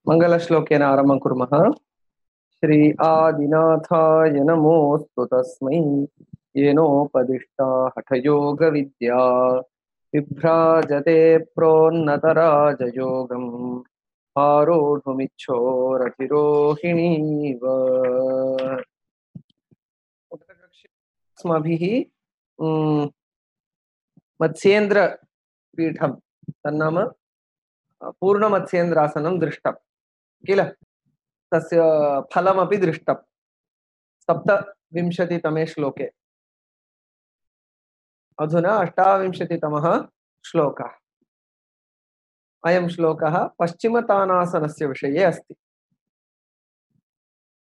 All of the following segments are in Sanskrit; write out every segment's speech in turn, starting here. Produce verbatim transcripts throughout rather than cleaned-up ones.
मङ्गलश्लोकेन आरम्भं कुर्मः। श्री आदिनाथाय नमोऽस्तु तस्मै येनोपदिष्टा हठयोगविद्या विभ्राजते प्रोन्नतराजयोगम् आरोढुमिच्छोरधिरोहिणीव। अस्माभिः मत्स्येन्द्रपीठं तन्नाम पूर्णमत्स्येन्द्रासनं दृष्टं किल, तस्य फलमपि दृष्टं सप्तविंशतितमे श्लोके। अधुना अष्टाविंशतितमः श्लोकः। अयं श्लोकः पश्चिमतानासनस्य विषये अस्ति।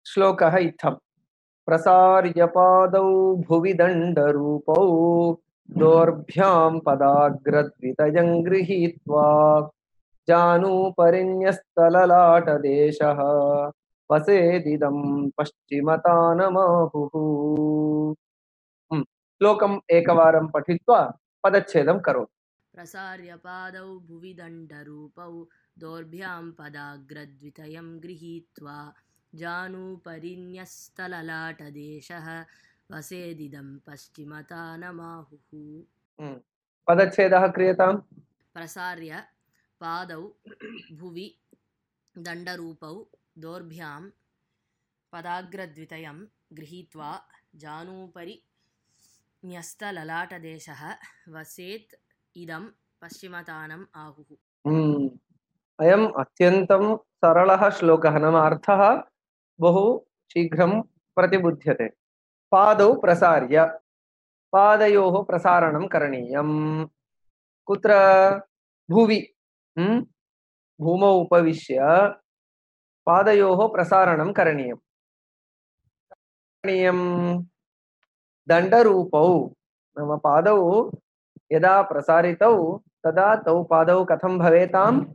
श्लोकः इत्थम्: प्रसार्य पादौ भुवि दण्डरूपौ दोर्भ्यां पदाग्रद्वितयं गृहीत्वा जानुपरिन्यस्तललाटदेशः वसेदिदं पश्चिमतानमाहुः। श्लोकम् एकवारं पठित्वा पदच्छेदं करोतु। प्रसार्य पादौ भुवि दण्डरूपौ दोर्भ्यां पदाग्रद्वितयं गृहीत्वा जानुपरिन्यस्तललाटदेशः वसेदिदं पश्चिमतानमाहुः। पदच्छेदः क्रियताम्। प्रसार्य पादौ भुवि दण्डरूपौ दोर्भ्यां पदाग्रद्वितयं गृहीत्वा जानुपरि न्यस्तललाटदेशः वसेत् इदं पश्चिमतानम् आहुः। अयम् अत्यन्तं सरलः श्लोकः, नाम अर्थः बहु शीघ्रं प्रतिबुध्यते। पादौ प्रसार्य, पादयोः प्रसारणं करणीयं। कुत्र? भुवि, भूमौ उपविश्य पादयोः प्रसारणं करणीयं। दण्डरूपौ, नाम पादौ यदा प्रसारितौ तदा तौ पादौ कथं भवेताम्?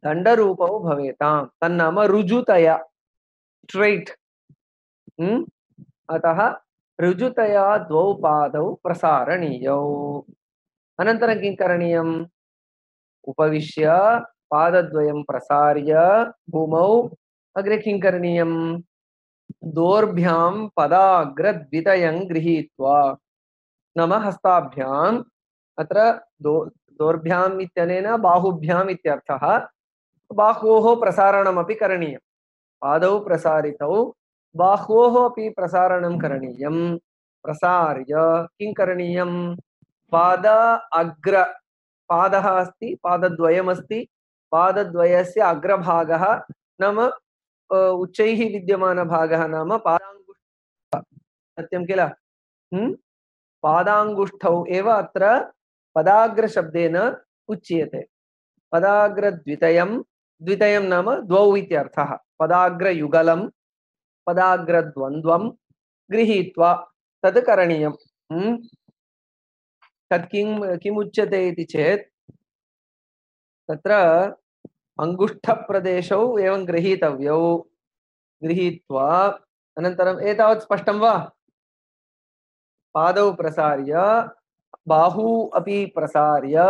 दण्डरूपौ भवेताम्। तन्नाम ऋजुतया, स्ट्रैट। अतः ऋजुतया द्वौ पादौ प्रसारणीयौ। अनन्तरं किं करणीयम्? उपविश्य पादद्वयं प्रसार्य भूमौ अग्रे किं करणीयं? दोर्भ्यां पदाग्रद्वितयं गृहीत्वा, नाम हस्ताभ्याम्, अत्र दो दोर्भ्याम् इत्यनेन बाहुभ्याम् इत्यर्थः। बाह्वोः प्रसारणमपि करणीयं। पादौ प्रसारितौ बाह्वोः अपि प्रसारणं करणीयं। प्रसार्य किं करणीयं? पाद अग्र, पादः अस्ति, पादद्वयमस्ति, पादद्वयस्य अग्रभागः नाम उच्चैः विद्यमानभागः नाम पादाङ्गुष्ठः, सत्यं किल? पादाङ्गुष्ठौ एव अत्र पदाग्रशब्देन उच्यते। पदाग्रद्वितयं, द्वितयं नाम द्वौ इत्यर्थः। पदाग्रयुगलं पदाग्रद्वन्द्वं गृहीत्वा तद् करणीयं। तत् किं किमुच्यते इति चेत् तत्र अङ्गुष्ठप्रदेशौ एवं गृहीतव्यौ। गृहीत्वा अनन्तरम् एतावत् स्पष्टं वा? पादौ प्रसार्य बाहू अपि प्रसार्य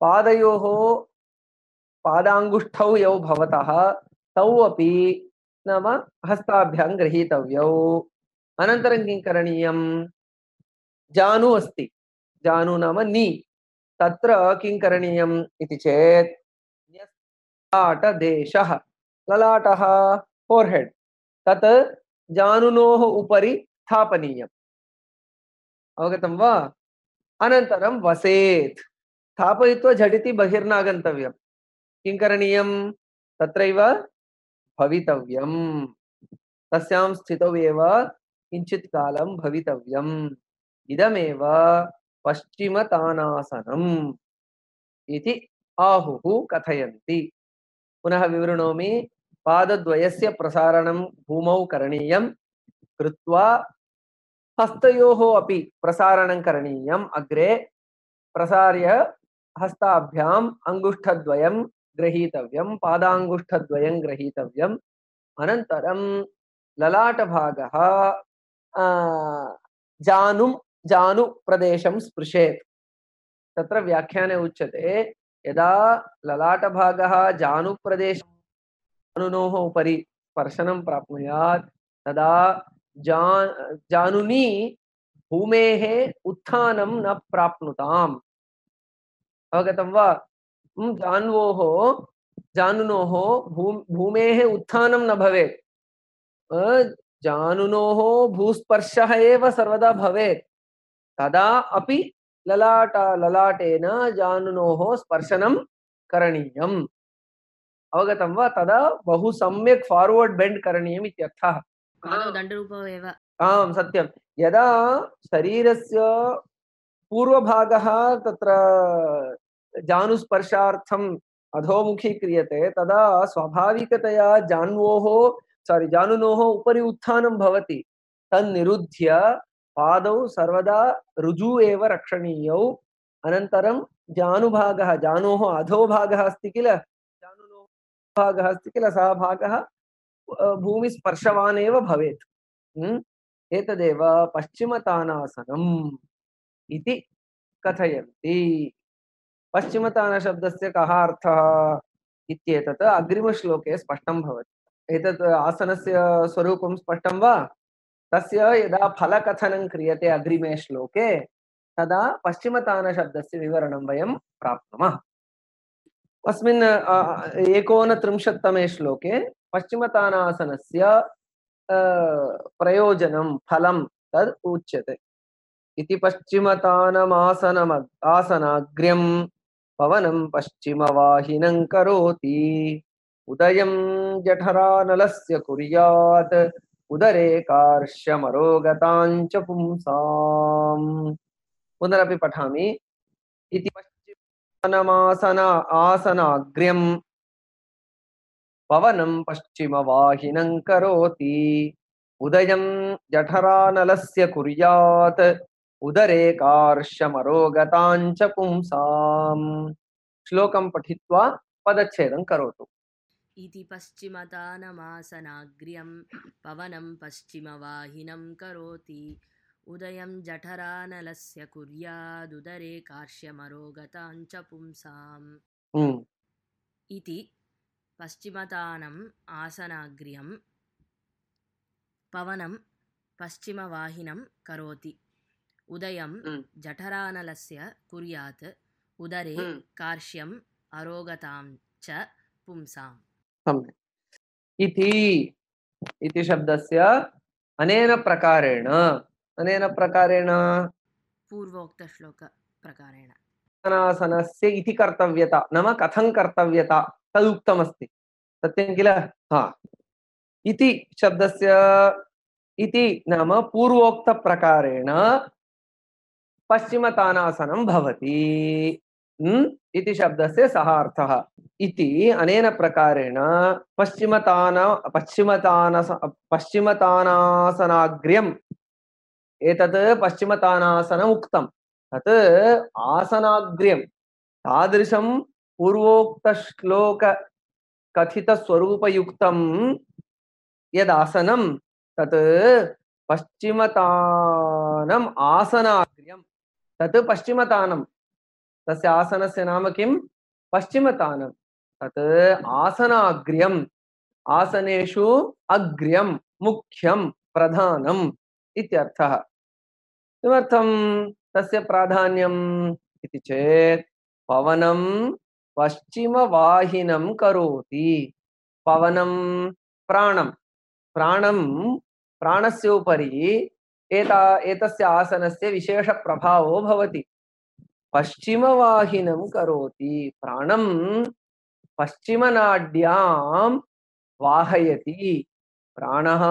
पादयोः पादाङ्गुष्ठौ यौ भवतः तौ अपि नाम हस्ताभ्यां गृहीतव्यौ। अनन्तरं किं करणीयं? जानु अस्ति, जानु नाम नी, तत्र किं करणीयम् इति चेत् ललाटदेशः, ललाटः फोर्हेड्, तत् जानुनोः उपरि स्थापनीयम्। अवगतं वा? अनन्तरं वसेत्, स्थापयित्वा झटिति बहिर्नागन्तव्यं। किं करणीयं? तत्रैव भवितव्यं, तस्यां स्थितौ एव किञ्चित् कालं भवितव्यम्। इदमेव पश्चिमतानासनम् इति आहुः कथयन्ति। पुनः विवृणोमि। पादद्वयस्य प्रसारणं भूमौ करणीयं, कृत्वा हस्तयोः अपि प्रसारणं करणीयम्। अग्रे प्रसार्य हस्ताभ्याम् अङ्गुष्ठद्वयं गृहीतव्यं, पादाङ्गुष्ठद्वयं गृहीतव्यम्। अनन्तरं ललाटभागः जानुं जानुप्रदेशं स्पृशेत्। तत्र व्याख्याने उच्यते, यदा ललाटभागः जानुप्रदेशं जानुनोः उपरि स्पर्शनं प्राप्नुयात् तदा जान जानुनी भूमेः उत्थानं न प्राप्नुताम्। अवगतं वा? हम्म, जान्वोः जानुनोः भूम भूमेः उत्थानं न भवेत्। अ, जानुनोः भूस्पर्शः एव सर्वदा भवेत्। तदा अपि ललाट ललाटेन जानुनोः स्पर्शनं करणीयम्। अवगतं वा? तदा बहु सम्यक् फार्वर्ड् बेण्ड् करणीयम् इत्यर्थः। पादौ दण्डरूपौ एव। आम् सत्यं। यदा शरीरस्य पूर्वभागः तत्र जानुस्पर्शार्थम् अधोमुखी क्रियते तदा स्वाभाविकतया जान्वोः सारी जानुनोः उपरि उत्थानं भवति। तन्निरुध्य पादौ सर्वदा ऋजु एव रक्षणीयौ। अनन्तरं जानुभागः जानोः अधोभागः अस्ति किल, जानुनोः भागः अस्ति किल, सः भागः भूमिस्पर्शवान् एव भवेत्। हम्म? एतदेव पश्चिमतानासनम् इति कथयन्ति। पश्चिमतानशब्दस्य कः अर्थः इत्येतत् अग्रिमश्लोके स्पष्टं भवति। एतत् आसनस्य स्वरूपं स्पष्टं वा? तस्य यदा फलकथनं क्रियते अग्रिमे श्लोके तदा पश्चिमतानशब्दस्य विवरणं वयं प्राप्नुमः। अस्मिन् एकोनत्रिंशत्तमे श्लोके पश्चिमतानासनस्य प्रयोजनं फलं तद् उच्यते। इति पश्चिमतानमासनम आसनाग्र्यं पवनं पश्चिमवाहिनं करोति उदयं जठरानलस्य कुर्यात् उदरे कार्श्यमरोगताञ्च पुंसाम्। पुनरपि पठामि। इति पश्चिमतानमासन आसनाग्र्यं पवनं पश्चिमवाहिनं करोति उदयं जठरानलस्य कुर्यात् उदरे कार्श्यमरोगताञ्च पुंसाम्। श्लोकं पठित्वा पदच्छेदं करोतु। इति पश्चिमतानमासनाग्र्यं पवनं पश्चिमवाहिनं करोति उदयं जठरानलस्य कुर्यादुदरे कार्श्यमरोगताञ्च पुंसाम्। इति पश्चिमतानम् आसनाग्र्यं पवनं पश्चिमवाहिनं करोति उदयं जठरानलस्य कुर्यात् उदरे कार्श्यम् अरोगतां च पुंसाम्। सम्यक्। इति इति शब्दस्य अनेन प्रकारेण अनेन प्रकारेण पूर्वोक्तश्लोक प्रकारेण आसनस्य इति कर्तव्यता नाम कथं कर्तव्यता तदुक्तमस्ति। सत्यं किल? हा। इति शब्दस्य इति नाम पूर्वोक्तप्रकारेण पश्चिमतानासनं भवति। इति शब्दस्य सः अर्थः। इति अनेन प्रकारेण पश्चिमतान पश्चिमतानस पश्चिमतानासनाग्र्यम् एतत् पश्चिमतानासनम् उक्तं तत् आसनाग्र्यं तादृशं पूर्वोक्तश्लोक कथितस्वरूपयुक्तं यदासनं तत् पश्चिमतानम् आसनाग्र्यं तत् पश्चिमतानं तस्य आसनस्य नाम किं? पश्चिमतानं। तत् आसनाग्र्यम् आसनेषु अग्र्यं मुख्यं प्रधानम् इत्यर्थः। किमर्थं तस्य प्राधान्यम् इति चेत् पवनं पश्चिमवाहिनं करोति। पवनं प्राणं प्राणं प्राणस्य उपरि एता एतस्य आसनस्य विशेषप्रभावो भवति। पश्चिमवाहिनं करोति प्राणं पश्चिमनाड्यां वाहयति। प्राणः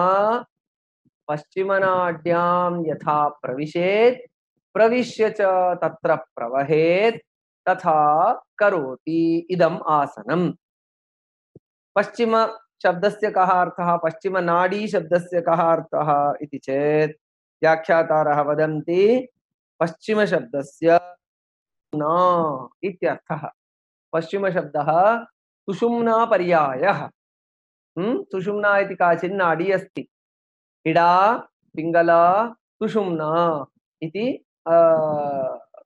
पश्चिमनाड्यां यथा प्रविशेत् प्रविश्य च तत्र प्रवहेत् तथा करोति इदम् आसनम्। पश्चिम शब्दस्य कः अर्थः? पश्चिमनाडी शब्दस्य कः अर्थः इति चेत् व्याख्यातारः वदन्ति पश्चिम शब्दस्य सुषुम्ना इत्यर्थः। पश्चिम शब्दः सुषुम्ना पर्यायः। सुषुम्ना इति काचित् नाडी अस्ति। इडा पिङ्गला सुषुम्ना इति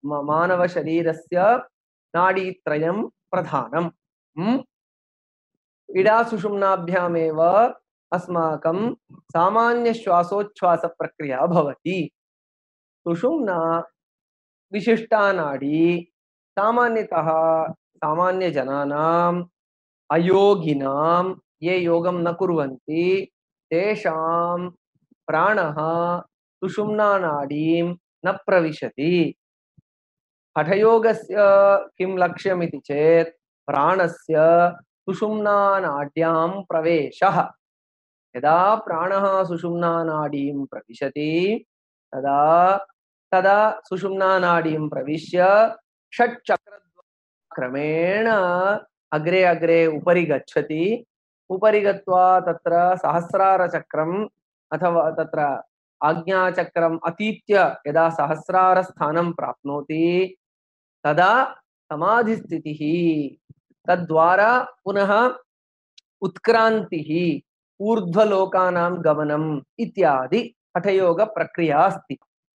मानवशरीरस्य नाडीत्रयं प्रधानम्। इडासुषुम्नाभ्यामेव अस्माकं सामान्यश्वासोच्छ्वासप्रक्रिया भवति। सुषुम्ना विशिष्टा नाडी सामान्यतः सामान्यजनानाम् अयोगिनां ये योगं न कुर्वन्ति तेषां प्राणः सुषुम्नानाडीं न प्रविशति। हठयोगस्य किं लक्ष्यमिति चेत् प्राणस्य सुषुम्नानाड्यां प्रवेशः। यदा प्राणः सुषुम्नानाडीं प्रविशति तदा तदा सुषुम्नानाडीं प्रविश्य षट्चक्रक्रमेण अग्रे अग्रे उपरि गच्छति। उपरि गत्वा तत्र सहस्रारचक्रम् अथवा तत्र आज्ञाचक्रम् अतीत्य यदा सहस्रारस्थानं प्राप्नोति तदा समाधिस्थितिः, तद्वारा पुनः उत्क्रान्तिः, ऊर्ध्वलोकानां गमनम् इत्यादि हठयोगप्रक्रिया अस्ति।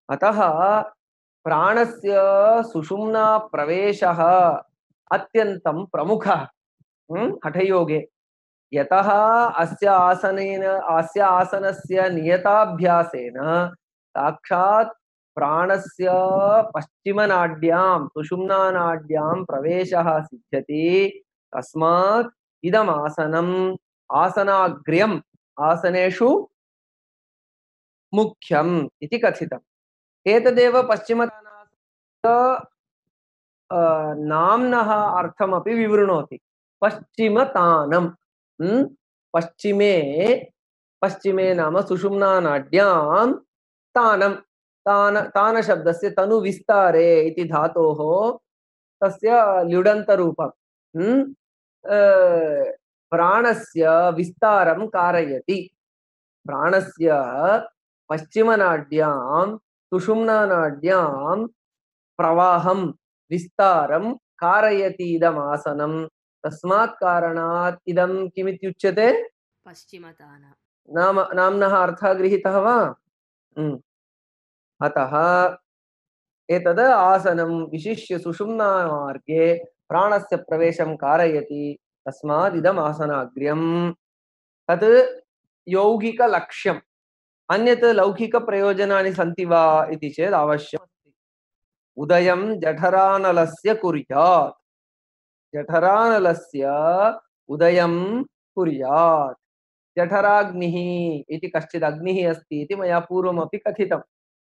अतः प्राणस्य सुषुम्ना प्रवेशः अत्यन्तं प्रमुखः हठयोगे। यतः अस्य आसनेन अस्य आसनस्य नियताभ्यासेन साक्षात् प्राणस्य पश्चिमनाड्यां सुषुम्नानाड्यां प्रवेशः सिद्ध्यति। तस्मात् इदम् आसनम् आसनाग्र्यम् आसनेषु मुख्यम् इति कथितम्। एतदेव पश्चिमतानासनस्य नाम्नः अर्थमपि विवृणोति। पश्चिमतानं पश्चिमे पश्चिमे नाम सुषुम्नानाड्यां तानं तान तानशब्दस्य तनु विस्तारे इति धातोः तस्य ल्युडन्तरूपं प्राणस्य विस्तारं कारयति। प्राणस्य पश्चिमनाड्यां सुषुम्नानाड्यां प्रवाहं विस्तारं कारयति इदम् आसनं। तस्मात् कारणात् इदं किमित्युच्यते? पश्चिमतान नाम नाम्नः अर्थः गृहीतः वा? अतः एतद् आसनं विशिष्य सुषुम्नामार्गे प्राणस्य प्रवेशं कारयति। तस्मात् इदम् आसनाग्र्यम्। तत् यौगिकलक्ष्यम्। अन्यत् लौकिकप्रयोजनानि सन्ति वा इति चेत् अवश्यम्। उदयं जठरानलस्य कुर्यात्। जठरानलस्य उदयं कुर्यात्। जठराग्निः इति कश्चित् अग्निः अस्ति इति मया पूर्वमपि कथितं।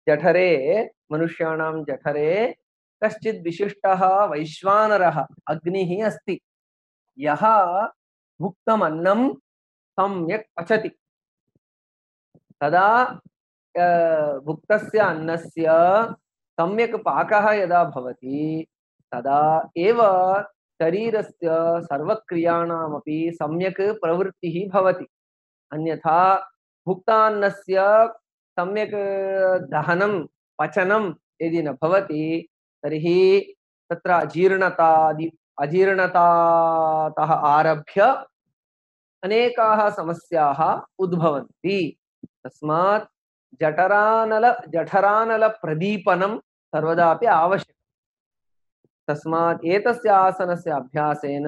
जठरे मनुष्याणां जठरे कश्चित् विशिष्टः वैश्वानरः अग्निः अस्ति। यः भुक्तमन्नं सम्यक् पचति तदा भुक्तस्य अन्नस्य सम्यक् पाकः यदा भवति तदा एव शरीरस्य सर्वक्रियाणामपि सम्यक् प्रवृत्तिः भवति। अन्यथा भुक्तान्नस्य सम्यक् दहनं पचनं यदि न भवति तर्हि तत्र अजीर्णतादि अजीर्णतातः आरभ्य अनेकाः समस्याः उद्भवन्ति। तस्मात् जठरानल जठरानलप्रदीपनं सर्वदापि आवश्यकम्। तस्मात् एतस्य आसनस्य अभ्यासेन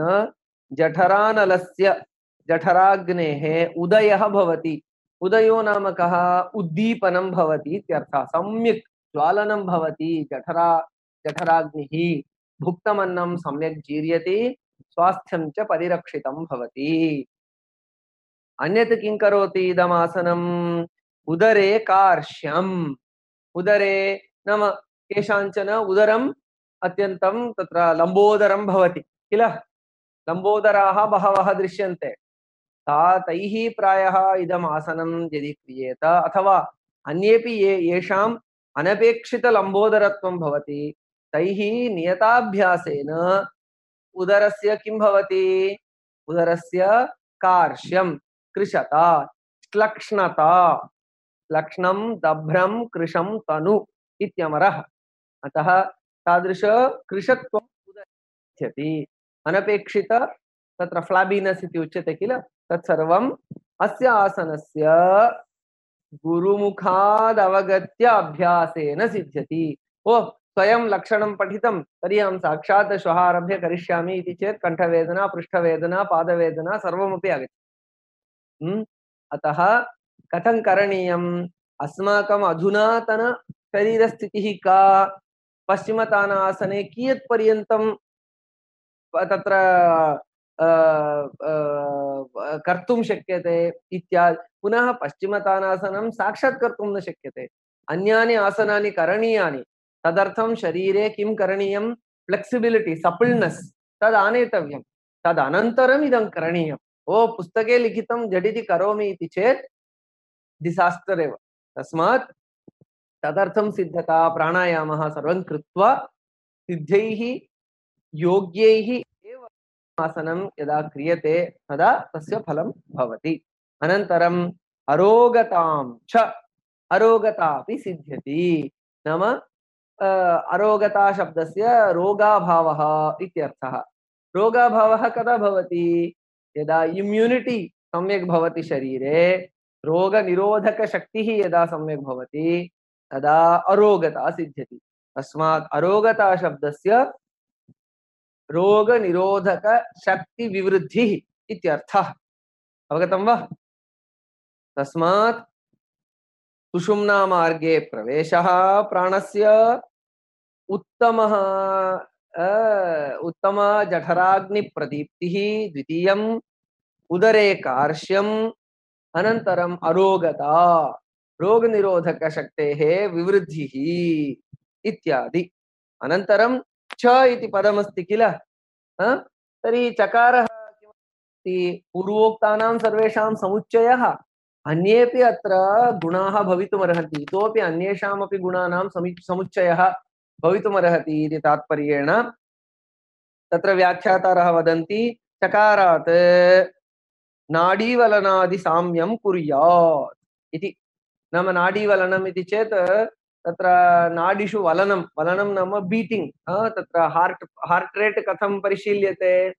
जठरानलस्य जठराग्नेः उदयः भवति। उदयो नाम कः? उद्दीपनं भवति इत्यर्थः। सम्यक् ज्वालनं भवति जठरा जठराग्निः। भुक्तमन्नं सम्यक् जीर्यति, स्वास्थ्यं च परिरक्षितं भवति। अन्यत् किं करोति इदम् आसनम्? उदरे कार्श्यम्। उदरे नाम केषाञ्चन उदरम् अत्यन्तं तत्र लम्बोदरं भवति किल? लम्बोदराः बहवः दृश्यन्ते। ता तैः प्रायः इदम् आसनं यदि क्रियेत अथवा अन्येपि ये येषाम् अनपेक्षितलम्बोदरत्वं भवति तैः नियताभ्यासेन उदरस्य किं भवति? उदरस्य कार्श्यं, कृशता, श्लक्ष्णता। लक्ष्णं दभ्रं कृशं तनु इत्यमरः। अतः तादृश कृशत्वम् उदरति। अनपेक्षित तत्र फ्लाबिनेस् इति उच्यते किल? तत्सर्वम् अस्य आसनस्य गुरुमुखाद् अवगत्य अभ्यासेन सिद्ध्यति। ओ स्वयं लक्षणं पठितं तर्हि अहं साक्षात् श्वः आरभ्य करिष्यामि इति चेत् कण्ठवेदना, पृष्ठवेदना, पादवेदना सर्वमपि आगच्छति। अतः कथं करणीयम्? अस्माकम् अधुनातन शरीरस्थितिः का? पश्चिमतानासने कियत् पर्यन्तं तत्र कर्तुं शक्यते इत्यादि। पुनः पश्चिमतानासनं साक्षात् कर्तुं न शक्यते, अन्यानि आसनानि करणीयानि। तदर्थं शरीरे किं करणीयं? फ्लेक्सिबिलिटी, सपल्नेस् तद् आनेतव्यं। तदनन्तरम् इदं करणीयम्। ओ पुस्तके लिखितं झटिति करोमि इति चेत् डिसास्टर् एव। तस्मात् तदर्थं सिद्धता, प्राणायामः सर्वं कृत्वा सिद्धैः योग्यैः एव आसनं यदा क्रियते तदा तस्य फलं भवति। अनन्तरम् अरोगतां च, अरोगता अपि सिद्ध्यति। नाम अरोगता शब्दस्य रोगाभावः इत्यर्थः। रोगाभावः कदा भवति? यदा इम्यूनिटी सम्यक् भवति शरीरे, रोगनिरोधकशक्तिः यदा सम्यक् भवति तदा अरोगता सिद्ध्यति। तस्मात् अरोगता शब्दस्य रोगनिरोधक शक्ति विवृद्धिः इत्यर्थः। अवगतं वा? तस्मात् सुषुम्ना मार्गे प्रवेशः प्राणस्य, उत्तमः उत्तम जठराग्निप्रदीप्तिः द्वितीयम्, उदरे कार्श्यम्, अनन्तरम् अरोगता, रोगनिरोधकशक्तेः विवृद्धिः इत्यादि। अनन्तरं च इति पदमस्ति किल, तर्हि चकारः किमस्ति? पूर्वोक्तानां सर्वेषां समुच्चयः। अन्येपि अत्र गुणाः भवितुमर्हन्ति, इतोपि अन्येषामपि गुणानां समुच्चयः भवितुमर्हति इति तात्पर्येण तत्र व्याख्यातारः वदन्ति चकारात् नाडीवलनादि साम्यं कुर्यात् इति। नाम नाडीवलनम् इति चेत् तत्र नाडीषु वलनं, वलनं नाम बीटिंग, तत्र हार्ट हार्ट रेट कथं परिशील्यते?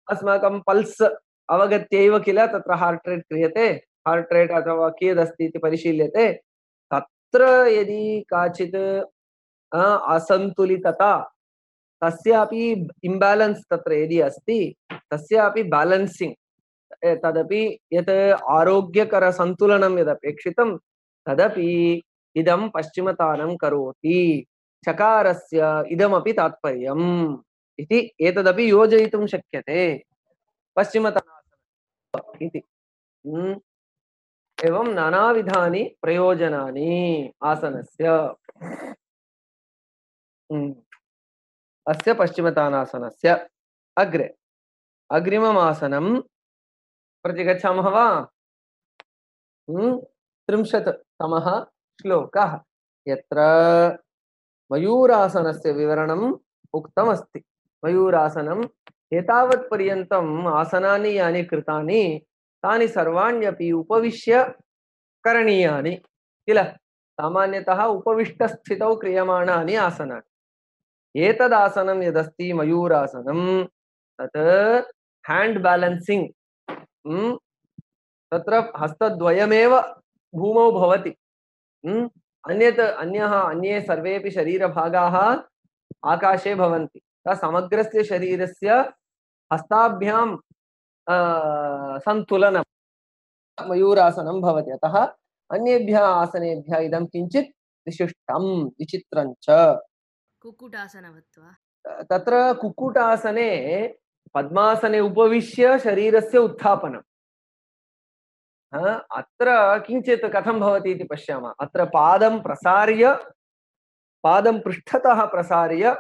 अस्माकं पल्स् अवगत्यैव किल तत्र हार्ट रेट क्रियते। हार्ट रेट अथवा कियदस्ति इति परिशील्यते। तत्र यदि काचित् असन्तुलितता, तस्यापि इम्बालेन्स् तत्र यदि अस्ति, तस्यापि बैलेन्सिंग, तदपि यत् आरोग्यकर सन्तुलनं यदपेक्षितं तदपि इदं पश्चिमतानं करोति। चकारस्य इदमपि तात्पर्यम् इति एतदपि योजयितुं शक्यते पश्चिमतानासनम् इति। एवं नानाविधानि प्रयोजनानि आसनस्य। अस्य पश्चिमतानासनस्य अग्रे अग्रिमम् आसनं प्रति गच्छामः वा? त्रिंशत् तमः श्लोकः, यत्र मयूरासनस्य विवरणम् उक्तमस्ति। मयूरासनम् एतावत् पर्यन्तम् आसनानि यानि कृतानि तानि सर्वाण्यपि उपविश्य करणीयानि किल। सामान्यतः उपविष्टस्थितौ क्रियमाणानि आसनानि। एतदासनं यदस्ति मयूरासनं तत् हैंड बैलेंसिंग, तत्र हस्तद्वयमेव भूमौ भवति। अन्यत् अन्यः अन्ये सर्वेपि शरीरभागाः आकाशे भवन्ति। समग्रस्य शरीरस्य हस्ताभ्यां सन्तुलनं मयूरासनं भवति। अतः अन्येभ्यः आसनेभ्यः इदं किञ्चित् विशिष्टं विचित्रं च। कुक्कुटासनवत् वा? तत्र कुक्कुटासने पद्मासने उपविश्य शरीरस्य उत्थापनम्। अत्र किञ्चित् कथं भवति इति पश्यामः। अत्र पादं प्रसार्य, पादं पृष्ठतः प्रसार्य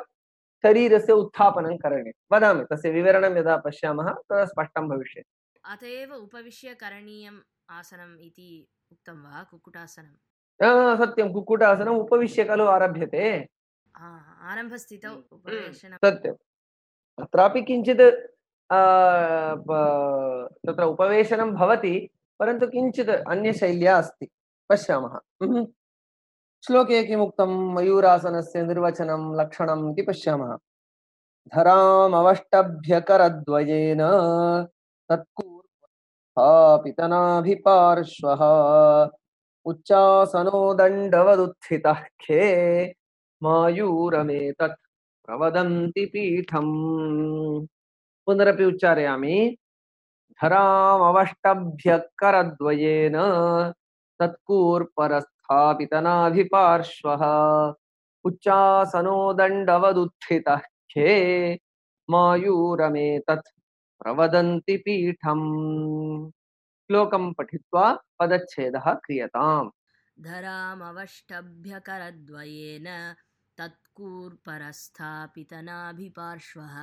शरीरस्य उत्थापनं करणीयं। वदामि, तस्य विवरणं यदा पश्यामः तदा स्पष्टं भविष्यति। अत एव उपविश्य करणीयम् आसनम् इति उक्तं वा कुक्कुटासनं? सत्यं, कुक्कुटासनम् उपविश्य खलु आरभ्यते। आरम्भस्थितौ उपवेशनं। सत्यम्। अत्रापि किञ्चित् तत्र उपवेशनं भवति, परन्तु किञ्चित् अन्यशैल्या अस्ति। पश्यामः। श्लोके किमुक्तं? मयूरासनस्य निर्वचनं लक्षणम् इति पश्यामः। धरामवष्टभ्यकरद्वयेन तत्कूर्पनाभिपार्श्वः उच्चासनो दण्डवदुत्थितः खे मायूरमेतत् प्रवदन्ति पीठम्। पुनरपि उच्चारयामि। धरामवष्टभ्यः करद्वयेन तत्कूर्परस्थापितनाभिपार्श्वः उच्चासनो दण्डवदुत्थितः खे मायूरमेतत् प्रवदन्ति पीठम्। श्लोकं पठित्वा पदच्छेदः क्रियताम्। धरामवष्टभ्यकरद्वयेन तत्कूर्परस्थापितनाभिपार्श्वः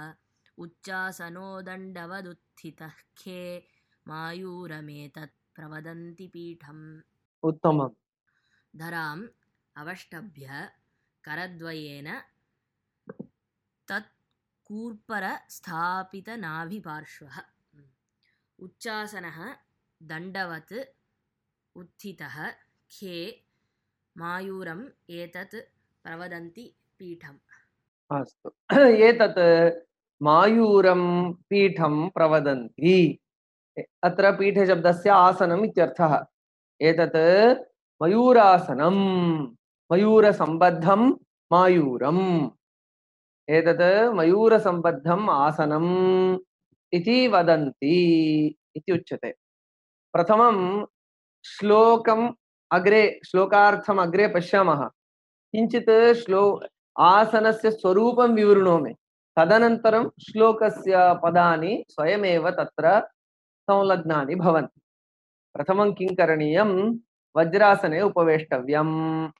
उच्चासनो दण्डवदुत्थितः खे मायूरमेतत् प्रवदन्ति पीठम्। उत्तमम्। धराम् अवष्टभ्य करद्वयेन तत्कूर्परस्थापितनाभिपार्श्वः उच्चासनः दण्डवत् उत्थितः खे मायूरम् एतत् प्रवदन्ति पीठम्। अस्तु। एतत् मायूरं पीठं प्रवदन्ति। अत्र पीठशब्दस्य आसनम् इत्यर्थः। एतत् मयूरासनं, मयूरसम्बद्धं मायूरम्। एतत् मयूरसम्बद्धम् आसनम् इति वदन्ति इति उच्यते। प्रथमं श्लोकम् अग्रे श्लोकार्थम् अग्रे पश्यामः। किञ्चित् श्लो आसनस्य स्वरूपं विवृणोमि, तदनन्तरं श्लोकस्य पदानि स्वयमेव तत्र संलग्नानि भवन्ति। प्रथमं किं करणीयं? वज्रासने उपवेष्टव्यम्।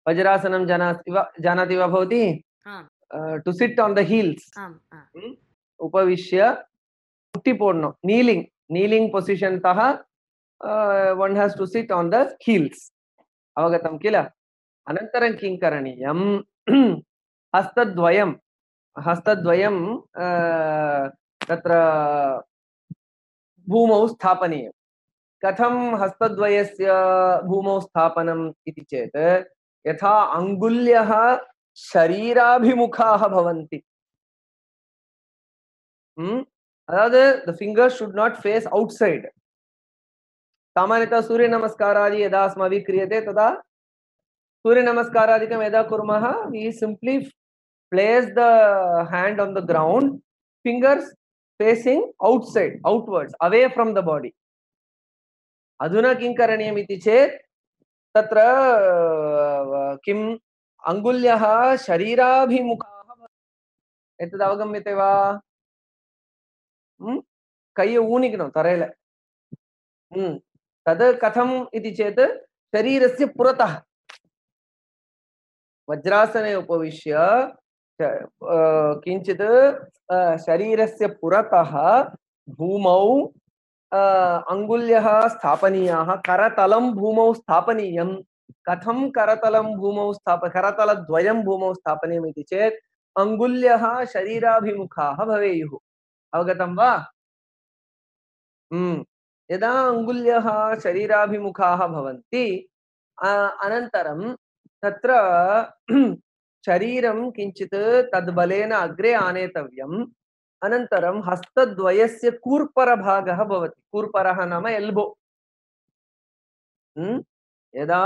वज्रासनं जानाति वा जानाति वा भवती? To sit on the heels. उपविश्य मुट्टिपोड्नु, नीलिङ्ग् नीलिङ्ग् पोसिशन् तः one has to sit on the heels. अवगतं किल? अनन्तरं किं करणीयं? हस्तद्वयं हस्तद्वयं तत्र भूमौ स्थापनीयम्। कथं हस्तद्वयस्य भूमौ स्थापनम् इति चेत्, यथा अङ्गुल्यः शरीराभिमुखाः भवन्ति। अदावद् the fingers should not face outside. सामान्यतः सूर्यनमस्कारादि यदा अस्माभिः क्रियते तदा सूर्यनमस्कारादिकं यदा कुर्मः, we simply place the hand on the ground, fingers facing outside, outwards, away from the body. अधुना किं करणीयम् इति चेत्, तत्र किम् अङ्गुल्यः शरीराभिमुखाः एतद् अवगम्यते वा? कै ऊनिकनो तरेल तद् कथम् इति चेत्, शरीरस्य पुरतः वज्रासने उपविश्य किञ्चित् शरीरस्य पुरतः भूमौ अङ्गुल्यः स्थापनीयाः, करतलं भूमौ स्थापनीयम्। कथं करतलं भूमौ स्थाप करतलद्वयं भूमौ स्थापनीयम् इति चेत्, अङ्गुल्यः शरीराभिमुखाः भवेयुः। अवगतं वा? यदा अङ्गुल्यः शरीराभिमुखाः भवन्ति, अनन्तरं तत्र शरीरं किञ्चित् तद्बलेन अग्रे आनेतव्यम्। अनन्तरं हस्तद्वयस्य कूर्परभागः भवति। कूर्परः नाम एल्बो। यदा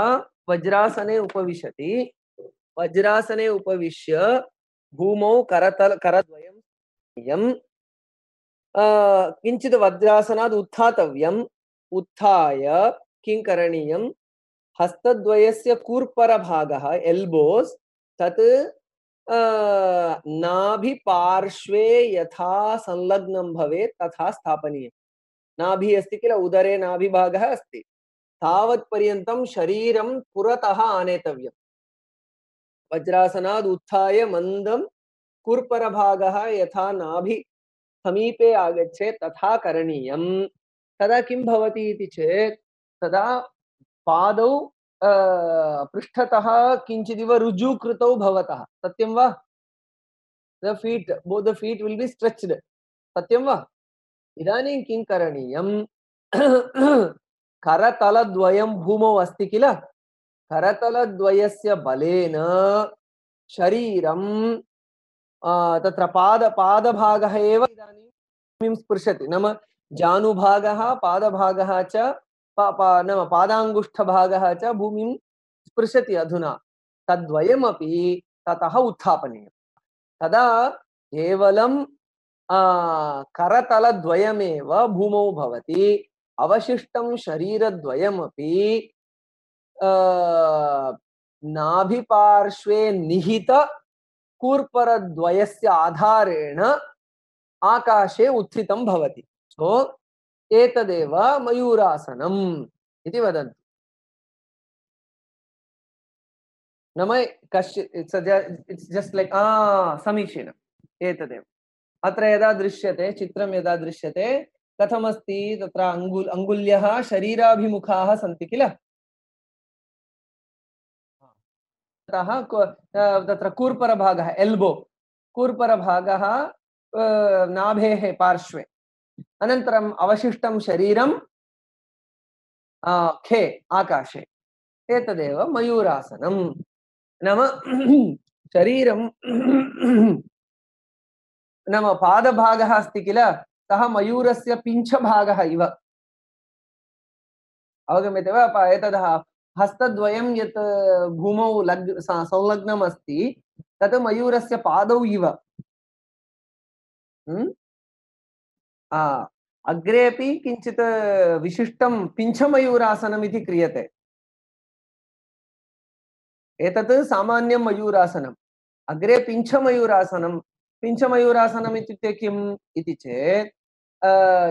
वज्रासने उपविशति, वज्रासने उपविश्य भूमौ करतल करद्वयं किञ्चित् वज्रासनात् उत्थातव्यम्। उत्थाय किं करणीयं? हस्तद्वयस्य कूर्परभागः एल्बोस् तत् नाभिपार्श्वे यथा संलग्नं भवेत् तथा स्थापनीयम्। नाभि अस्ति किल, उदरे नाभिभागः अस्ति, तावत् पर्यन्तं शरीरं पुरतः आनेतव्यम्। वज्रासनात् उत्थाय मन्दं कूर्परभागः यथा नाभि समीपे आगच्छेत् तथा करणीयम्। तदा किं भवति इति चेत्, तदा पादौ पृष्ठतः किञ्चिदिव रुजुकृतौ भवतः। सत्यं वा? The feet, both the feet will be stretched. सत्यं वा? इदानीं किं करणीयं? करतलद्वयं भूमौ अस्ति किल, करतलद्वयस्य बलेन शरीरं तत्र पाद पादभागः एव इदानीं भूमिं स्पृशति। नाम जानुभागः, पादभागः च नाम पादाङ्गुष्ठभागः च भूमिं स्पृशति अधुना। तद्वयमपि ततः उत्थापनीयम्। तदा केवलं करतलद्वयमेव भूमौ भवति, अवशिष्टं शरीरद्वयमपि नाभिपार्श्वे निहित कूर्परद्वयस्य आधारेण आकाशे उत्थितं भवति। सो एतदेव मयूरासनम् इति वदन्ति। नाम कश्चित् इट्स् इट्स् जस्ट् लैक् समीचीनम्, एतदेव अत्र यदा दृश्यते, चित्रं यदा दृश्यते कथमस्ति, तत्र अङ्गुल् अङ्गुल्यः शरीराभिमुखाः सन्ति किल, ततः तत्र कूर्परभागः एल्बो, कूर्परभागः नाभेः पार्श्वे, अनन्तरम् अवशिष्टं शरीरं खे आकाशे, एतदेव मयूरासनम्। नाम शरीरं नाम पादभागः अस्ति किल, सः मयूरस्य पिञ्छभागः इव, अवगम्यते वा? एतद् हस्तद्वयं यत् भूमौ लग् संलग्नम् अस्ति तत् मयूरस्य पादौ इव। अग्रेपि किञ्चित् विशिष्टं पिञ्छमयूरासनम् इति क्रियते। एतत् सामान्यं मयूरासनम्, अग्रे पिञ्छमयूरासनं। पिञ्छमयूरासनम् इत्युक्ते किम् इति चेत्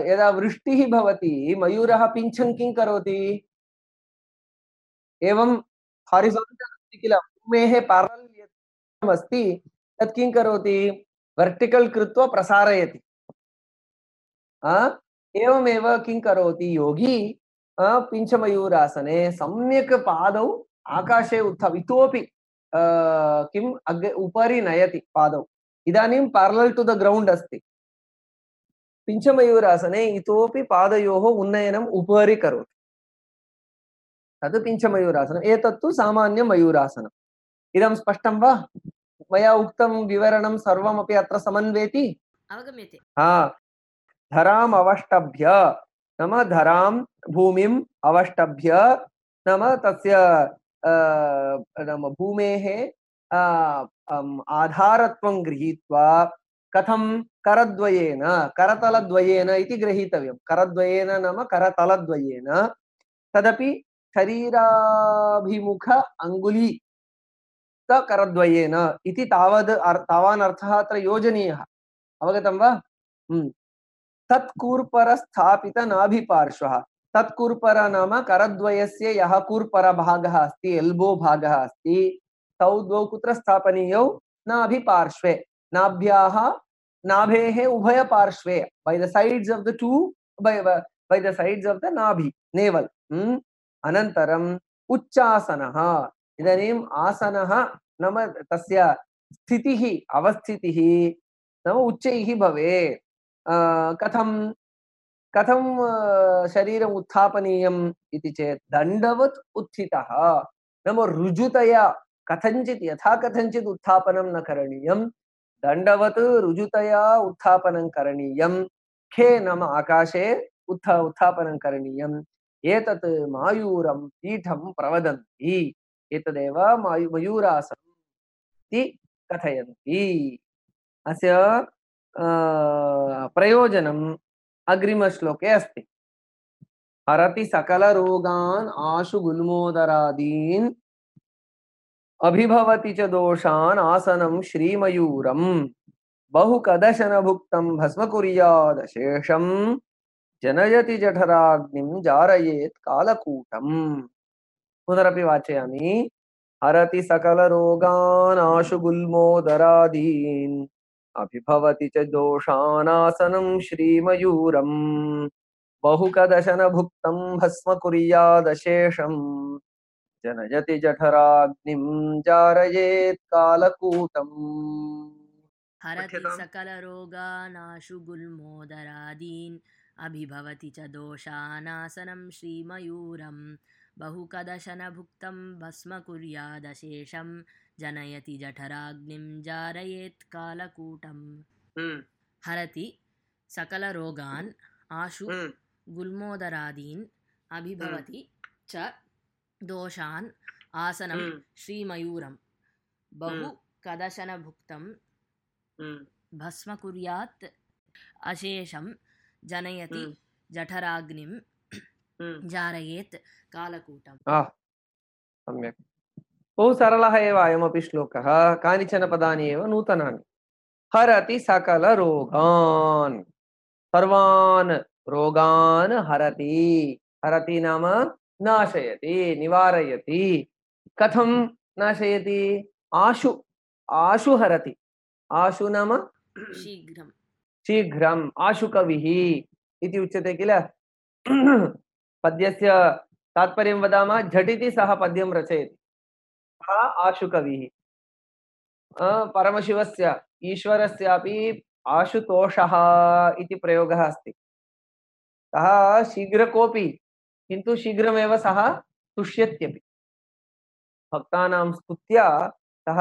यदा वृष्टिः भवति मयूरः पिञ्छं किं करोति, एवं हारिसाण्टल् अस्ति किल, भूमेः पैरलल् यत् अस्ति तत् किं करोति, वर्टिकल् कृत्वा प्रसारयति। एवमेव किं करोति योगी पिञ्छमयूरासने सम्यक् पादौ आकाशे उत्थाप्य इतोपि किम् अग्रे उपरि नयति पादौ, इदानीं पैरलल् टु द ग्रौण्ड् अस्ति। पिञ्छमयूरासने इतोपि पादयोः उन्नयनम् उपरि करोति, तद् पिञ्छमयूरासनम्। एतत्तु सामान्यं मयूरासनम्। इदं स्पष्टं वा? मया उक्तं विवरणं सर्वमपि अत्र समन्वेति? अवगम्यते। हा, धराम् अवष्टभ्य नाम धरां भूमिम् अवष्टभ्य नाम तस्य नाम भूमेः आधारत्वं गृहीत्वा कथं करद्वयेन करतलद्वयेन इति गृहीतव्यं। करद्वयेन नाम करतलद्वयेन, तदपि शरीराभिमुख अङ्गुली करद्वयेन इति तावद् तावान् अर्थः अत्र योजनीयः। अवगतं वा? तत्कूर्पर स्थापित नाभिपार्श्वः, तत्कूर्पर नाम करद्वयस्य यः कूर्परभागः अस्ति, एल्बो भागः अस्ति, तौ द्वौ कुत्र स्थापनीयौ? नाभिपार्श्वे, नाभ्याः नाभेः उभयपार्श्वे, by the sides of the two, by by the sides of the नाभि, नेवल। अनन्तरम् उच्चासनः। इदानीम् आसनः नाम तस्य स्थितिः अवस्थितिः नाम उच्चैः भवेत्। कथं कथं शरीरम् उत्थापनीयम् इति चेत् दण्डवत् उत्थितः, नाम ऋजुतया कथञ्चित् यथा कथञ्चित् उत्थापनं न करणीयं, दण्डवत् ऋजुतया उत्थापनं करणीयं। खे नाम आकाशे उत्थ उत्थापनं करणीयम्। एतत् मायूरं पीठं प्रवदन्ति, एतदेव मायु मयूरासनम् इति कथयन्ति। अस्य प्रयोजनम् अग्रिमश्लोके अस्ति। हरति सकलरोगान् आशु गुल्मोदरादीन् अभिभवति च दोषान् आसनं श्रीमयूरम् बहुकदशन भुक्तं भस्म कुर्यादशेषं जनयति जठराग्निं जारयेत् कालकूटम्। पुनरपि वाचयामि। हरति सकलरोगान् आशु गुल्मोदरादीन् अभिभवति च दोषानासनं श्रीमयूरम् बहुकदशन भुक्तं भस्म कुर्यादशेषं जनयति जठराग्निं जारयेत् कालकूटम्। हरति सकलरोगानाशु गुल्मोदरादीन् अभिभवति च दोषानासनं श्रीमयूरं बहुकदशन भुक्तं भस्म कुर्यादशेषं जनयति जठराग्निं जारयेत् कालकूटम्। हरति सकलरोगान् आशु गुल्मोदरादीन् अभिभवति च दोषान् आसनं श्रीमयूरं बहु कदशन भुक्तं भस्म कुर्यात् अशेषं जनयति जठराग्निं जारयेत् कालकूटम्। आह, सम्यक्। बहु सरलः एव अयमपि श्लोकः। कानिचन पदानि एव नूतनानि। हरति सकलरोगान्, सर्वान् रोगान् हरति। हरति नाम नाशयति, निवारयति। कथं नाशयति? आशु आशु हरति। आशु नाम शीघ्रं शीघ्रम्, आशुकविः इति उच्यते किल। पद्यस्य तात्पर्यं वदामः, झटिति सः पद्यं रचयति, सः आशुकविः। परमशिवस्य ईश्वरस्यापि आशुतोषः इति प्रयोगः अस्ति। सः शीघ्रकोपि, किन्तु शीघ्रमेव सः तुष्यत्यपि। भक्तानां स्तुत्या सः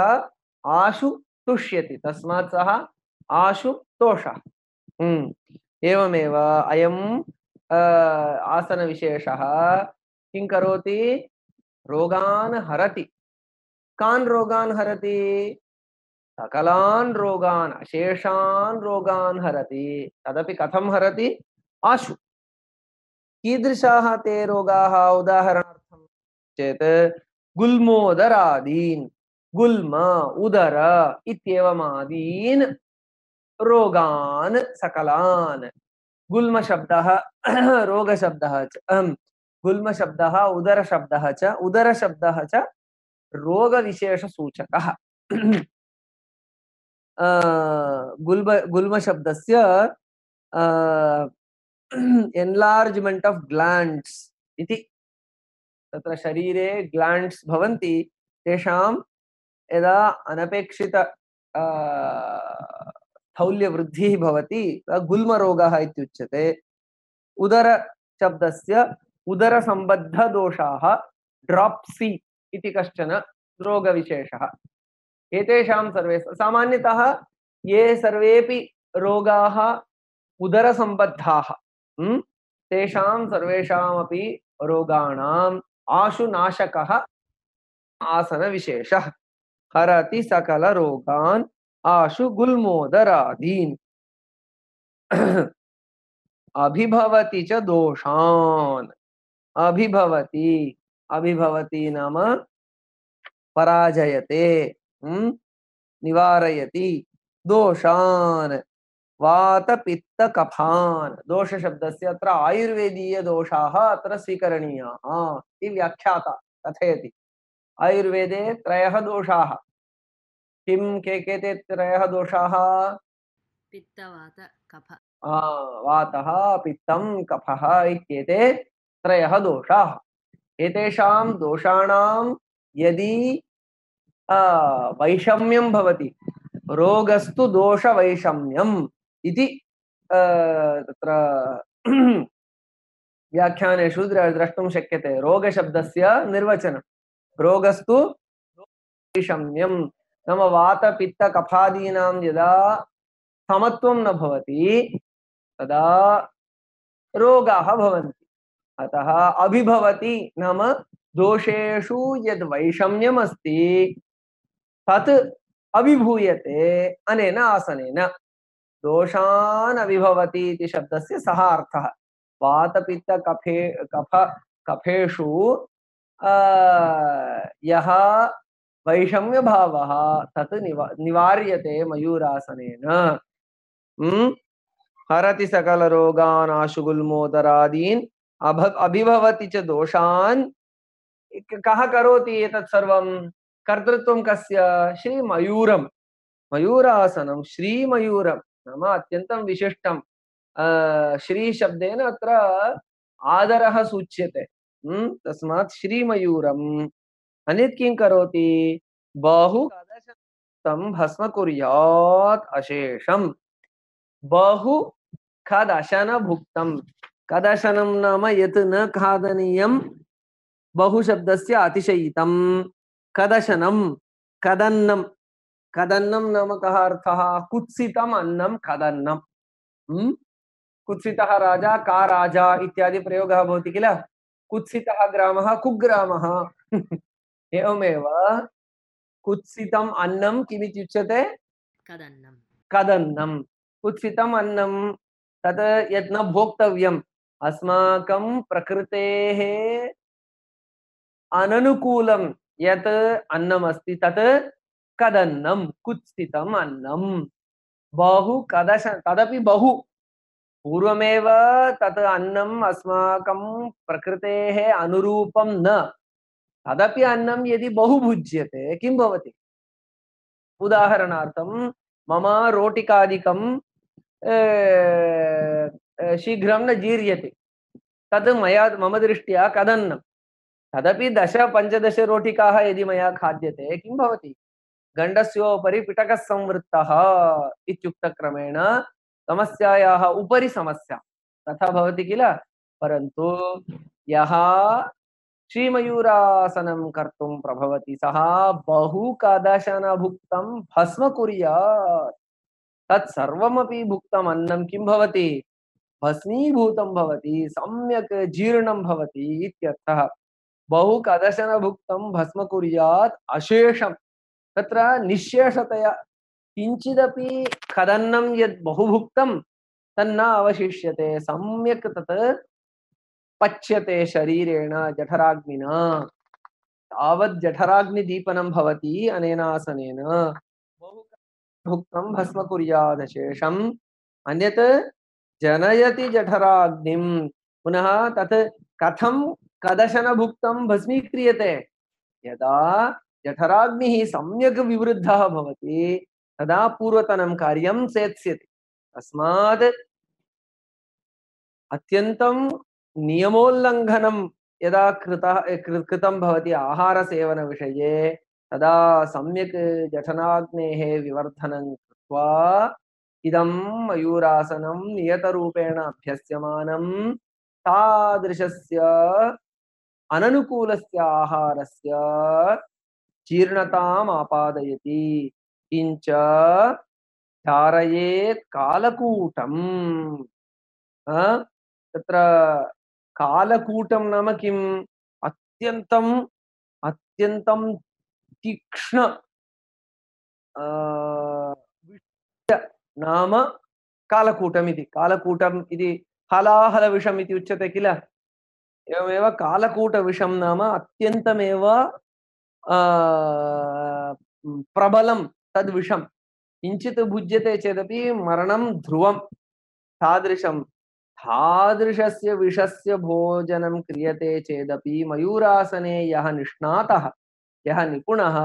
आशु तुष्यति, तस्मात् सः आशुतोषः। एवमेव अयम् आसनविशेषः किं करोति? रोगान् हरति। कान् रोगान् हरति? सकलान् रोगान्, अशेषान् रोगान् हरति। तदपि कथं हरति? आशु। कीदृशाः ते रोगाः? उदाहरणार्थं चेत् गुल्मोदरादीन्, गुल्म, उदर इत्येवमादीन् रोगान् सकलान्। गुल्मशब्दः रोगशब्दः च, गुल्मशब्दः उदरशब्दः च, उदरशब्दः च रोगविशेषसूचकः। गुल्म गुल्मशब्दस्य एन्लार्ज्मेण्ट् आफ् ग्लाण्ड्स् इति। तत्र शरीरे ग्लाण्ड्स् भवन्ति, तेषां यदा अनपेक्षित स्थौल्यवृद्धिः भवति गुल्मरोगः इत्युच्यते। उदरशब्दस्य उदरसम्बद्धदोषाः ड्राप्सी इति कश्चन रोगविशेषः। एतेषां सर्वे सामान्यतः ये सर्वेपि रोगाः उदरसम्बद्धाः, तेषां सर्वेषामपि रोगाणाम् आशुनाशकः आसनविशेषः। हरति सकलरोगान् आशु गुल्मोदरादीन्। अभिभवति च दोषान्। अभिभवति, अभिभवति नाम पराजयते, निवारयति। दोषान् वातपित्तकफान्। दोषशब्दस्य अत्र आयुर्वेदीयदोषाः अत्र स्वीकरणीयाः इति व्याख्याता कथयति। आयुर्वेदे त्रयः दोषाः। किं के के ते त्रयः दोषाः? पित्तवात कफ। वातः, पित्तं, कफः इत्येते त्रयः दोषाः। एतेषां दोषाणां यदि वैषम्यं भवति, रोगस्तु दोषवैषम्यम् इति तत्र व्याख्यानेषु द्रष्टुं शक्यते। रोगशब्दस्य निर्वचनं रोगस्तु वैषम्यं नाम वातपित्तकफादीनां यदा समत्वं न भवति तदा रोगाः भवन्ति। अतः अभिभवति नाम दोषेषु यद् वैषम्यम् अस्ति तत् अभिभूयते अनेन आसनेन। दोषान् अभिभवति इति शब्दस्य सः अर्थः। वातपित्तकफे कफ कफेषु यः वैषम्यभावः तत् निवा निवार्यते मयूरासनेन। हरति सकलरोगान् आशु गुल्मोदरादीन् अभ अभिभवति च दोषान्। कः करोति एतत् सर्वं? कर्तृत्वं कस्य? श्रीमयूरं। मयूरासनं श्रीमयूरं नाम अत्यन्तं विशिष्टं। श्रीशब्देन अत्र आदरः सूच्यते, तस्मात् श्रीमयूरम्। अन्यत् किं करोति? बहु तं भस्म कुर्यात् अशेषम्। बहु खदशन भुक्तं। खदशनं नाम यत् न खादनीयं। बहु शब्दस्य अतिशयितं। खदशनं, खदन्नं। खदन्नं नाम कः अर्थः? कुत्सितम् अन्नं खदन्नं। कुत्सितः राजा का राजा इत्यादि प्रयोगः भवति किल। कुत्सितः ग्रामः कुग्रामः। एवमेव कुत्सितम् अन्नं किमिति उच्यते? कदन्नं कदन्नं। कुत्सितम् अन्नं तत् यत् न भोक्तव्यम् अस्माकं प्रकृतेः अननुकूलं यत् अन्नमस्ति तत् कदन्नं कुत्सितम् अन्नं बहु कदश तदपि बहु पूर्वमेव तत् अन्नम् अस्माकं प्रकृतेः अनुरूपं न तदपि अन्नं यदि बहु भुज्यते किं भवति? उदाहरणार्थं मम रोटिकादिकं शीघ्रं न जीर्यते तद् मया मम दृष्ट्या कदन्नं तदपि दश पञ्चदश रोटिकाः यदि मया खाद्यते किं भवति? गण्डस्योपरि पिटकः संवृत्तः इत्युक्तक्रमेण समस्यायाः उपरि समस्या तथा भवति किल? परन्तु यः श्रीमयूरासनं कर्तुं प्रभवति सः बहु कदशनभुक्तं भस्म कुर्यात् तत्सर्वमपि भुक्तम् अन्नं किं भवति? भस्मीभूतं भवति सम्यक् जीर्णं भवति इत्यर्थः। बहु कदशनभुक्तं भस्म कुर्यात् अशेषं तत्र निःशेषतया किञ्चिदपि कदन्नं यद् बहु भुक्तं तन्न अवशिष्यते सम्यक् तत् पच्यते शरीरेण जठराग्निना तावत् जठराग्निदीपनं भवति अनेन आसनेन बहु भुक्तं भस्म कुर्यादशेषम् अन्यत् जनयति जठराग्निं पुनः तत् कथं कदशनभुक्तं भस्मीक्रियते यदा जठराग्निः सम्यक् विवृद्धः भवति तदा पूर्वतनं कार्यं सेत्स्यति तस्मात् अत्यन्तं नियमोल्लङ्घनं यदा कृतः कृतं भवति आहारसेवनविषये तदा सम्यक् जठराग्नेः विवर्धनं कृत्वा इदं मयूरासनं नियतरूपेण अभ्यस्यमानं तादृशस्य अननुकूलस्य आहारस्य जीर्णताम् आपादयति किञ्च धारयेत् कालकूटम् तत्र कालकूटं नाम किम् अत्यन्तम् अत्यन्तं तीक्ष्ण नाम कालकूटम् इति कालकूटम् इति हलाहलविषम् इति उच्यते किल एवमेव कालकूटविषं नाम अत्यन्तमेव प्रबलं तद्विषं किञ्चित् भुज्यते चेदपि मरणं ध्रुवं तादृशं तादृशस्य विषस्य भोजनं क्रियते चेदपि मयूरासने यः निष्णातः यः निपुणः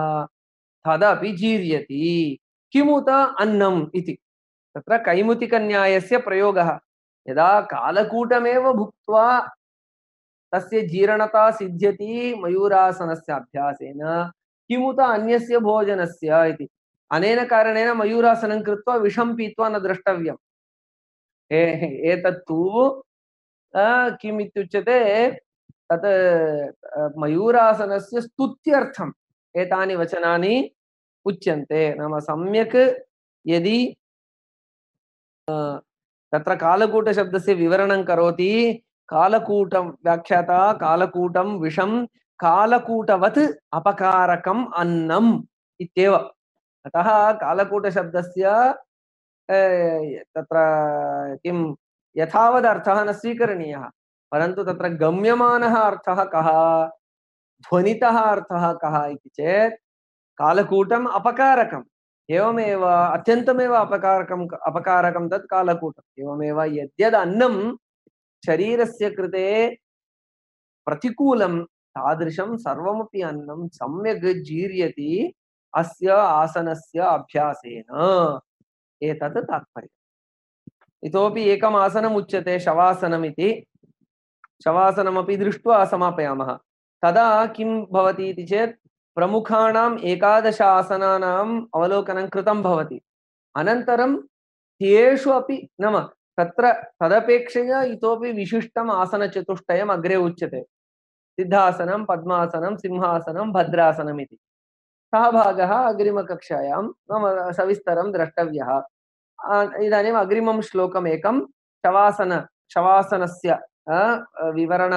तदपि जीर्यति किमुत अन्नम् इति तत्र कैमुतिकन्यायस्य प्रयोगः यदा कालकूटमेव भुक्त्वा तस्य जीर्णता सिद्ध्यति मयूरासनस्य अभ्यासेन किमुत अन्यस्य भोजनस्य इति अनेन कारणेन मयूरासनं कृत्वा विषं पीत्वा न द्रष्टव्यम् एतत्तु किम् इत्युच्यते तत् मयूरासनस्य स्तुत्यर्थम् एतानि वचनानि उच्यन्ते नाम सम्यक् यदि तत्र कालकूटशब्दस्य विवरणं करोति कालकूटं व्याख्याता कालकूटं विषं कालकूटवत् अपकारकम् अन्नम् इत्येव अतः कालकूटशब्दस्य तत्र किं यथावदर्थः न स्वीकरणीयः परन्तु तत्र गम्यमानः अर्थः कः ध्वनितः अर्थः कः इति चेत् कालकूटम् अपकारकम् एवमेव अत्यन्तमेव अपकारकम् अपकारकं तत् कालकूटम् एवमेव यद्यद् अन्नं शरीरस्य कृते प्रतिकूलं तादृशं सर्वमपि अन्नं सम्यक् जीर्यति अस्य आसनस्य अभ्यासेन एतत् तात्पर्यम् इतोपि एकम् आसनम् उच्यते शवासनम् इति शवासनमपि दृष्ट्वा समापयामः तदा किं भवति इति चेत् प्रमुखाणाम् एकादश आसनानाम् अवलोकनं कृतं भवति अनन्तरं तेषु अपि नाम तत्र तदपेक्षया इतोपि विशिष्टम् आसनचतुष्टयम् अग्रे उच्यते सिद्धासनं पद्मासनं सिंहासनं भद्रासनम् इति सः भागः अग्रिमकक्षायां नाम सविस्तरं द्रष्टव्यः इदानीम् अग्रिमं श्लोकम् एकं शवासन शवासनस्य विवरण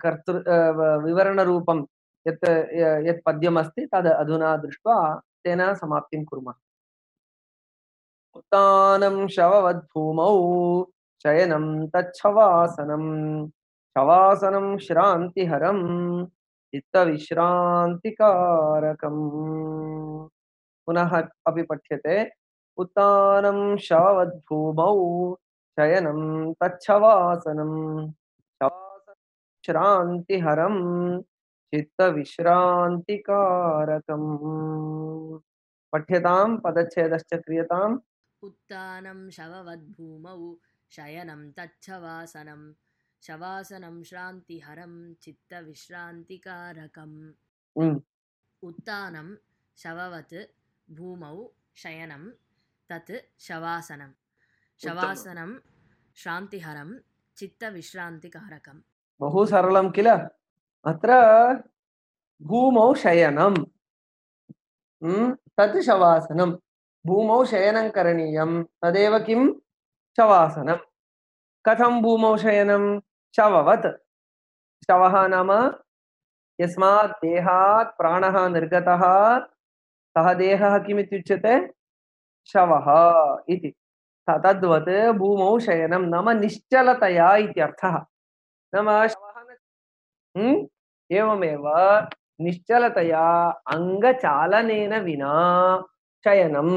कर्तृ विवरणरूपं यत् यत् पद्यमस्ति तद् अधुना दृष्ट्वा तेन समाप्तिं कुर्मः। उत्तानं शववद्भूमौ शयनं तच्छवासनं शवासनं श्रान्तिहरं चित्तविश्रान्तिकारकम्। पुनः अपि पठ्यते। उत्तानं शववद्भूमौ शयनं तच्छवासनं शवासनं श्रान्तिहरं चित्तविश्रान्तिकारकम्। पठ्यतां पदच्छेदश्च क्रियताम्। उत्तानं शववद्भूमौ शयनं तच्छवासनं शवासनं श्रान्तिहरं चित्तविश्रान्तिकारकम्। उत्तानं शववत् भूमौ शयनं तत् शवासनं शवासनं श्रान्तिहरं चित्तविश्रान्तिकारकम्। बहु सरलं किल? अत्र भूमौ शयनं तत् शवासनं। भूमौ शयनं करणीयं तदेव किं? शवासनं। कथं भूमौ शयनं? शववत्। शवः नाम यस्मात् देहात् प्राणः निर्गतः सः देहः किमित्युच्यते? शवः इति। तद्वत् भूमौ शयनं नाम निश्चलतया इत्यर्थः। नाम शवः एवमेव निश्चलतया अङ्गचालनेन विना शयनं।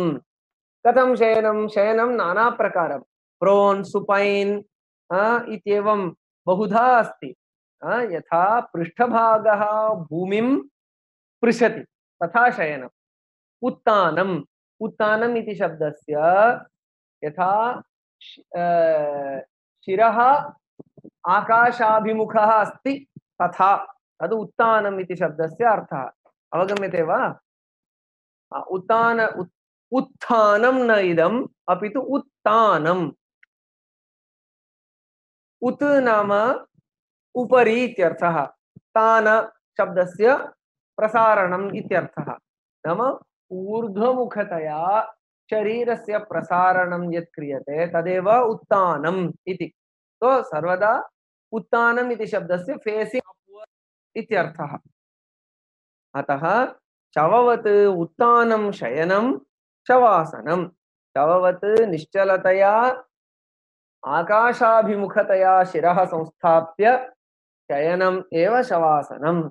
कथं शयनं? शयनं नाना प्रकारं, प्रोन् सुपैन् इत्येवं बहुधा अस्ति। यथा पृष्ठभागः भूमिं स्पृशति तथा शयनम्। उत्तानम् उत्तानम् इति शब्दस्य यथा शिरः आकाशाभिमुखः अस्ति तथा तद् उत्तानम् इति शब्दस्य अर्थः। अवगम्यते वा? उत्तान उत्थानं न इदम् अपितु उत्तानम्। उत् नाम उपरि इत्यर्थः। तान शब्दस्य प्रसारणम् इत्यर्थः। नाम ऊर्ध्वमुखतया शरीरस्य प्रसारणं यत् क्रियते तदेव उत्तानम् इति। तो सर्वदा उत्तानम् इति शब्दस्य फेसिंग अपवर्ड इत्यर्थः। अतः शववत् उत्तानं शयनं शवासनं। शववत् निश्चलतया आकाशाभिमुखतया शिरः संस्थाप्य शयनम् एव शवासनम्।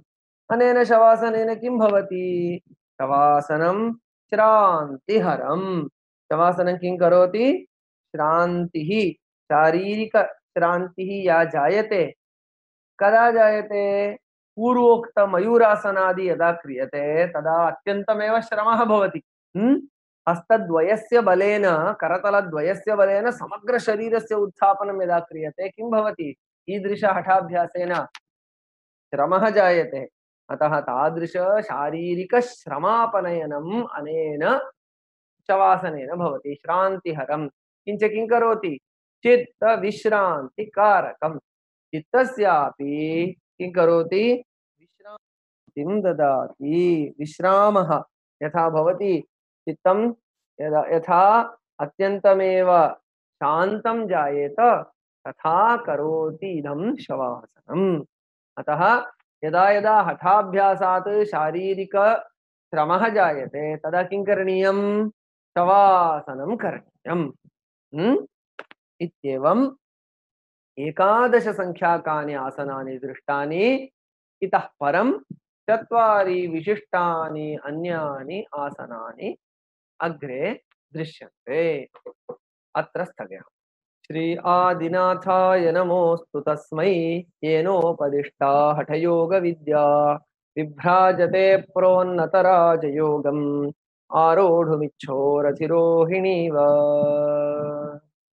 अनेन शवासनेन किं भवति? शवासनं श्रान्तिहरम्। शवासनं किं करोति? श्रान्तिः, शारीरिक श्रान्तिः या जायते। कदा जायते? पूर्वोक्त मयूरासनादि यदा क्रियते तदा अत्यन्तमेव श्रमः भवति। हस्तद्वयस्य बलेन, करतलद्वयस्य बलेन समग्र शरीरस्य उत्थापनं यदा क्रियते किं भवति? ईदृश हठाभ्यासेन श्रमः जायते। अतः तादृश शारीरिक श्रमापनयनम् अनेन शवासनेन भवति। श्रान्तिहरं किञ्च किं करोति? चित्त विश्रान्तिकारकम्। चित्तस्यापि किं करोति? विश्रान्तिं ददाति। विश्रामः यथा भवति चित्तं यदा यथा अत्यन्तमेव शान्तं जायेत तथा करोति इदं शवासनम्। अतः यदा यदा हठाभ्यासात् शारीरिक श्रमः जायते तदा किं करणीयं? शवासनं करणीयम्। इत्येवम् एकादश संख्याकानि आसनानि दृष्टानि। इतः परं चत्वारि विशिष्टानि अन्यानि आसनानि अग्रे दृश्यन्ते। अत्र स्थगयामः। श्री आदिनाथाय नमोऽस्तु तस्मै येनोपदिष्टा हठयोगविद्या विभ्राजते प्रोन्नतराजयोगम् आरोढुमिच्छोरधिरोहिणीव।